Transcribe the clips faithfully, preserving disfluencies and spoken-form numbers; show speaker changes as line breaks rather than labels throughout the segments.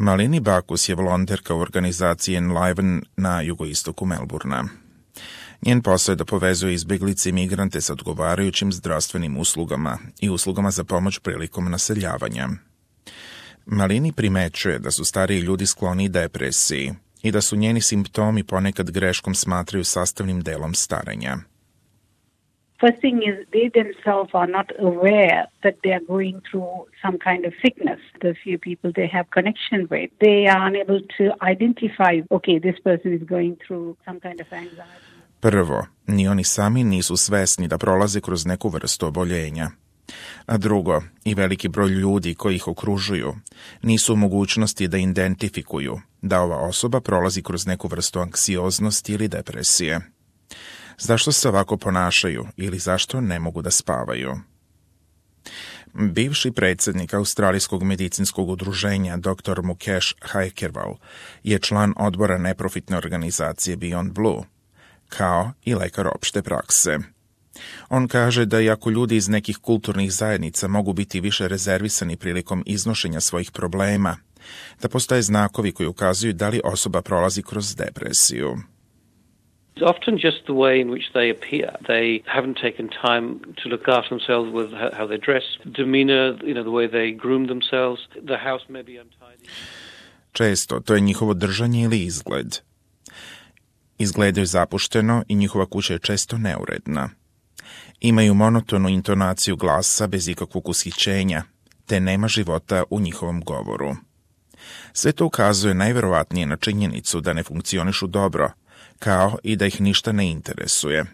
Malini Bakus je volonterka u organizaciji Enliven na jugoistoku Melburna. Njen posao je da povezuje izbjeglice i migrante sa odgovarajućim zdravstvenim uslugama i uslugama za pomoć prilikom naseljavanja. Malini primećuje da su stariji ljudi skloni depresiji i da su njeni simptomi ponekad greškom smatraju sastavnim delom starenja.
First thing is they themselves are not aware that they are going through some kind of sickness. The few people they have connection with, they are unable to identify, okay, this person is going through some kind of anxiety.
Prvo, ni oni sami nisu svesni da prolaze kroz neku vrstu oboljenja. A drugo, i veliki broj ljudi koji ih okružuju nisu u mogućnosti da identifikuju da ova osoba prolazi kroz neku vrstu anksioznosti ili depresije. Zašto se ovako ponašaju ili zašto ne mogu da spavaju? Bivši predsjednik Australijskog medicinskog udruženja doktor Mukesh Haikerwal je član odbora neprofitne organizacije Beyond Blue, kao i lekar opšte prakse. On kaže da iako ljudi iz nekih kulturnih zajednica mogu biti više rezervisani prilikom iznošenja svojih problema, da postoje znakovi koji ukazuju da li osoba prolazi kroz depresiju.
It's often just the way in which they appear. They haven't taken time to look after themselves with how they dress, demeanor, you know, the way they groom themselves. The house may be untidy.
Često to je njihovo držanje ili izgled. Izgledaju zapušteno i njihova kuća je često neuredna. Imaju monotonu intonaciju glasa bez ikakvog ushićenja, te nema života u njihovom govoru. Sve to ukazuje najverovatnije na činjenicu da ne funkcionišu dobro, kao i da ih ništa ne interesuje,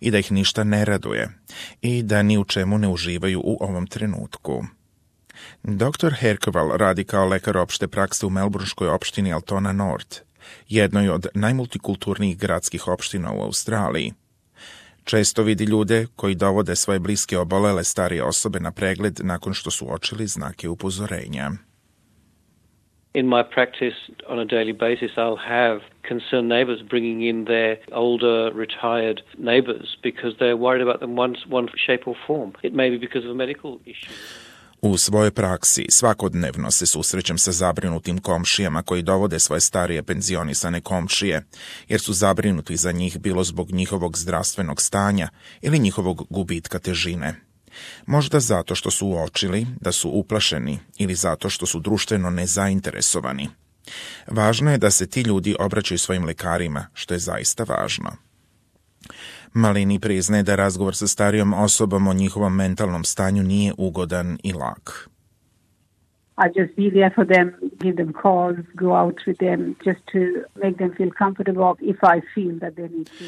i da ih ništa ne raduje, i da ni u čemu ne uživaju u ovom trenutku. doktor Haikerwal radi kao lekar opšte prakse u melburnškoj opštini Altona North, jednoj od najmultikulturnijih gradskih opština u Australiji. Često vidi ljude koji dovode svoje bliske obolele starije osobe na pregled nakon što su uočili znake upozorenja.
In my practice, on a daily basis, I'll have concerned neighbours bringing in their older, retired neighbours because they're worried about them one, one shape or form. It may be because of a medical issue.
U svojoj praksi svakodnevno se susrećem sa zabrinutim komšijama koji dovode svoje starije penzionisane komšije, jer su zabrinuti za njih bilo zbog njihovog zdravstvenog stanja ili njihovog gubitka težine. Možda zato što su uočili da su uplašeni ili zato što su društveno nezainteresovani. Važno je da se ti ljudi obraćaju svojim lekarima, što je zaista važno. Malini priznaje da razgovor sa starijom osobom o njihovom mentalnom stanju nije ugodan i lak.
I just be there for them, give them calls, go out with them, just to make them feel comfortable if I feel that they need to.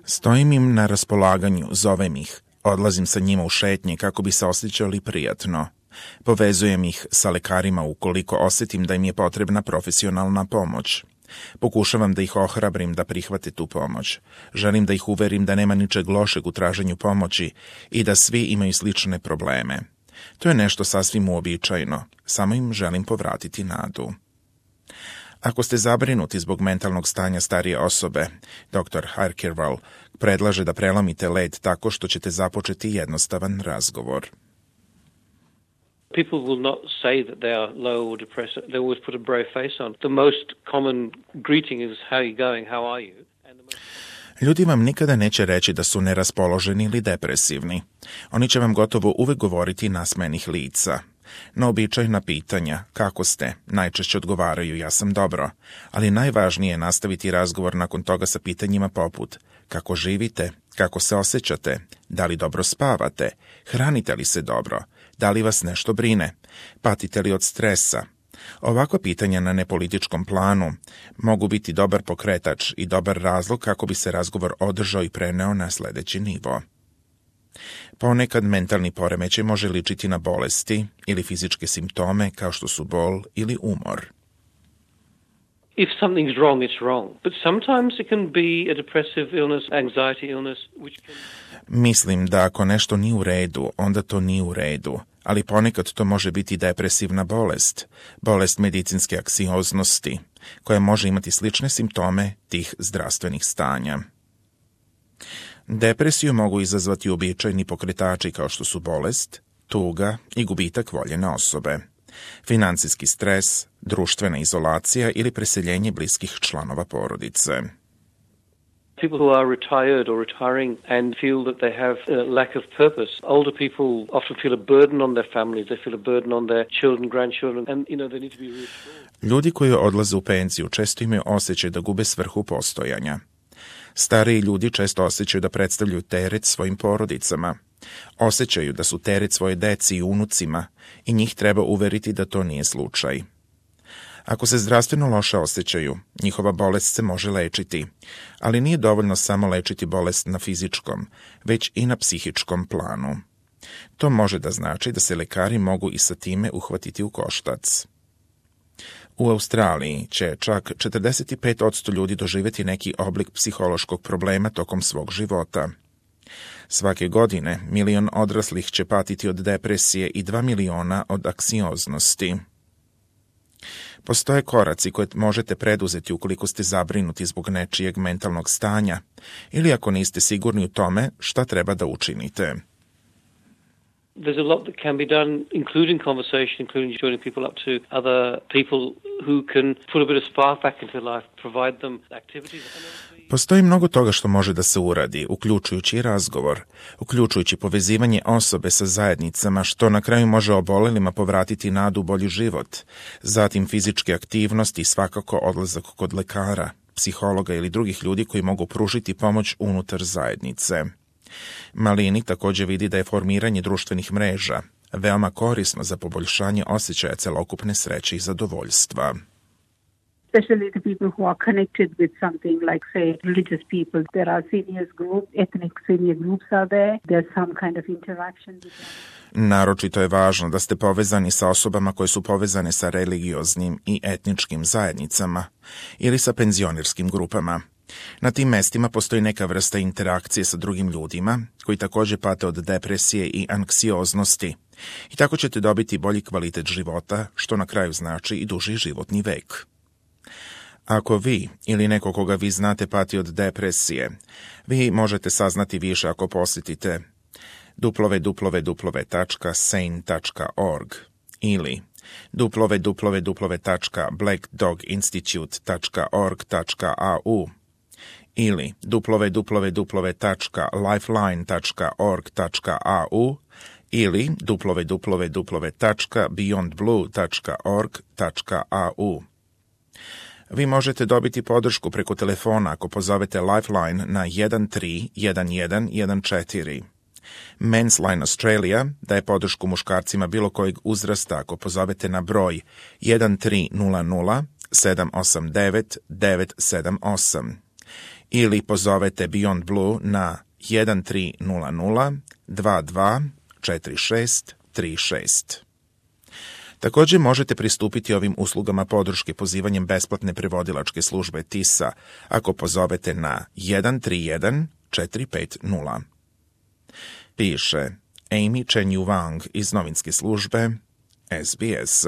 Stojim im na raspolaganju, zovem ih, odlazim sa njima u šetnje kako bi se osjećali prijatno. Povezujem ih sa lekarima ukoliko osjetim da im je potrebna profesionalna pomoć. Pokušavam da ih ohrabrim da prihvate tu pomoć. Želim da ih uverim da nema ničeg lošeg u traženju pomoći i da svi imaju slične probleme. To je nešto sasvim uobičajeno, samo im želim povratiti nadu. Ako ste zabrinuti zbog mentalnog stanja starije osobe, doktor Haikerwal predlaže da prelomite led tako što ćete započeti jednostavan razgovor.
People will not say that they are low or depressed. They always put a brave face on. The most common greeting is how are you going, how are you? And the most...
Ljudi vam nikada neće reći da su neraspoloženi ili depresivni. Oni će vam gotovo uvek govoriti nasmejanih lica. Na običajna pitanja, kako ste, najčešće odgovaraju ja sam dobro, ali najvažnije je nastaviti razgovor nakon toga sa pitanjima poput kako živite, kako se osjećate, da li dobro spavate, hranite li se dobro, da li vas nešto brine, patite li od stresa. Ovakva pitanja na nepolitičkom planu mogu biti dobar pokretač i dobar razlog kako bi se razgovor održao i preneo na sljedeći nivo. Ponekad mentalni poremećaj može ličiti na bolesti ili fizičke simptome kao što su bol ili umor.
If something's wrong, it's wrong. But sometimes it can be a depressive illness, anxiety illness, which can...
Mislim da ako nešto nije u redu, onda to nije u redu, ali ponekad to može biti depresivna bolest, bolest medicinske anksioznosti, koja može imati slične simptome tih zdravstvenih stanja. Depresiju mogu izazvati uobičajeni pokretači kao što su bolest, tuga i gubitak voljene osobe, financijski stres, društvena izolacija ili preseljenje bliskih članova porodice.
People who are retired or retiring and feel that they have a lack of purpose. Older people often feel a burden on their families. They feel a burden on their children, grandchildren, and you know they need to be reassured.
Ljudi koji odlaze u penziju često imaju osjećaj da gube svrhu postojanja. Stariji ljudi često osjećaju da predstavljaju teret svojim porodicama. Osjećaju da su teret svoje deci i unucima i njih treba uveriti da to nije slučaj. Ako se zdravstveno loše osjećaju, njihova bolest se može lečiti, ali nije dovoljno samo lečiti bolest na fizičkom, već i na psihičkom planu. To može da znači da se lekari mogu i sa time uhvatiti u koštac. U Australiji će čak četrdeset pet posto ljudi doživjeti neki oblik psihološkog problema tokom svog života. Svake godine milion odraslih će patiti od depresije i dva miliona od anksioznosti. Postoje koraci koje možete preduzeti ukoliko ste zabrinuti zbog nečijeg mentalnog stanja ili ako niste sigurni u tome šta treba da učinite.
There's a lot that can be done, including conversation, including joining people up to other people who can put a bit of spark back into life, provide them activities.
Postoji mnogo toga što može da se uradi, uključujući i razgovor, uključujući povezivanje osobe sa zajednicama, što na kraju može obolelima povratiti nadu u bolji život, zatim fizičke aktivnosti i svakako odlazak kod lekara, psihologa ili drugih ljudi koji mogu pružiti pomoć unutar zajednice. Malini također vidi da je formiranje društvenih mreža veoma korisno za poboljšanje osjećaja celokupne sreće i zadovoljstva.
Especially the people who are connected with something like, say, religious people. There are seniors group, ethnic senior groups are there. There's some kind of interaction with them.
Naročito je važno da ste povezani sa osobama koje su povezane sa religioznim i etničkim zajednicama ili sa penzionerskim grupama. Na tim mestima postoji neka vrsta interakcije sa drugim ljudima koji također pate od depresije i anksioznosti i tako ćete dobiti bolji kvalitet života, što na kraju znači i duži životni vek. Ako vi ili neko koga vi znate pati od depresije, vi možete saznati više ako posjetite w w w tačka sane tačka org ili w w w tačka black dog institute tačka org tačka a u ili w w w tačka lifeline tačka org tačka a u ili w w w tačka beyond blue tačka org tačka a u. Vi možete dobiti podršku preko telefona ako pozovete Lifeline na jedan tri jedan jedan jedan četiri. Men's Line Australia daje podršku muškarcima bilo kojeg uzrasta ako pozovete na broj jedan tri nula nula sedam osam devet devet sedam osam ili pozovete Beyond Blue na jedan tri nula nula dva dva četiri šest tri šest. Također možete pristupiti ovim uslugama podrške pozivanjem besplatne prevodilačke službe T I S A ako pozovete na jedan tri jedan četiri pet nula. Piše Amy Chen Yu Wang iz novinske službe S B S.